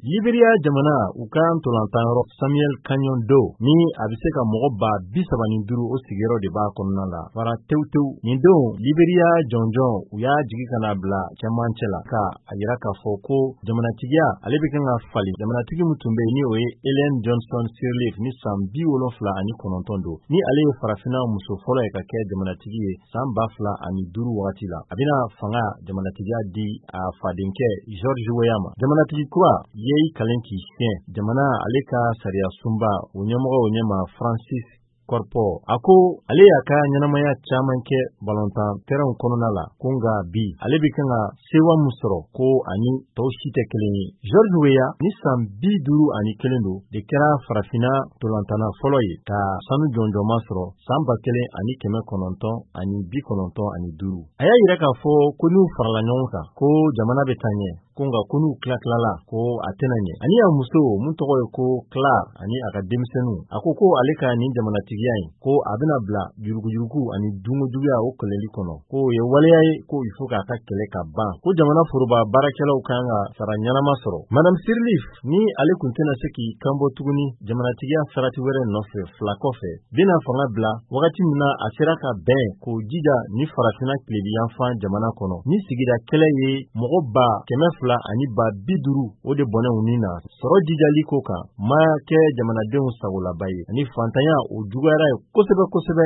Liberia jamana, u ka ntolantanyɔrɔ Samuel Kanyon Doe, ni a bɛ se ka mɔgɔ 35,000, o sigiyɔrɔ de b'a kɔnɔna la, fara tewu tewu. Nin don, Liberia jɔnjɔn, u y'a jigi ka na bila cɛmancɛ la, ka a yira k'a fɔ ko jamanatigiya, ale bɛ kan ka falen. Jamanatigi min tun bɛ yen, ni o ye Ellen Johnson Sirleaf, ni san 79 don, ni ale ye farafinna muso fɔlɔ ye ka kɛ jamanatigi ye san 2005 wagati la, a bɛna fanga jamanatigiya di a fadenkɛ George Weah ma. Jamanatigi kura ye i kalen k'i siɲɛ jamana ale ka sariya sunba o ɲɛmɔgɔ o ɲɛma, Francis Korkpor. A ko ale y'a ka ɲɛnamaya caman kɛ balontan tɛrɛnw kɔnɔna la, ko nka bi, ale bɛ kan ka sewa min sɔrɔ, ko ani tɔw si tɛ kelen ye. George Weah, ni san 51 don, de kɛra farafinna tolantana fɔlɔ ye ka sanu jɔnjɔnma sɔrɔ san 1995. A y'a yira k'a fɔ ko n'u farala ɲɔgɔn kan, ko jamana bɛ taa ɲɛ, ko nka ko n'u tila-tilala, ko a tɛna ɲɛ. Ani a muso mun tɔgɔ ye ko Clara, ani a ka denmisɛnninw, a ko ko ale ka nin jamanatigiya in, ko a bɛna bila yuruguyurugu ani dunkojuguya, o kɛlɛli kɔnɔ, ko o ye waleya ye ko il faut k'a ka kɛlɛ ka ban, ko jamana foroba baarakɛlaw kan ka sara ɲɛnama sɔrɔ. Madame Sirleaf, ni ale tun tɛna se k'i kanbɔ tuguni jamanatigiya sarati wɛrɛ nɔfɛ fila kɔfɛ, bɛna fanga bila wagati min na a sera ka bɛn k'o jija ni farafinna tilebiyanfan jamana kɔnɔ, ni sigida kɛlɛ ye mɔgɔ 200 ani 50,000 o de bɔnɛ u ni na. Sɔrɔ jijali ko kan ma kɛ jamanadenw sagolaba ye, ani fantanya, o juguyara ye kosɛbɛ kosɛbɛ.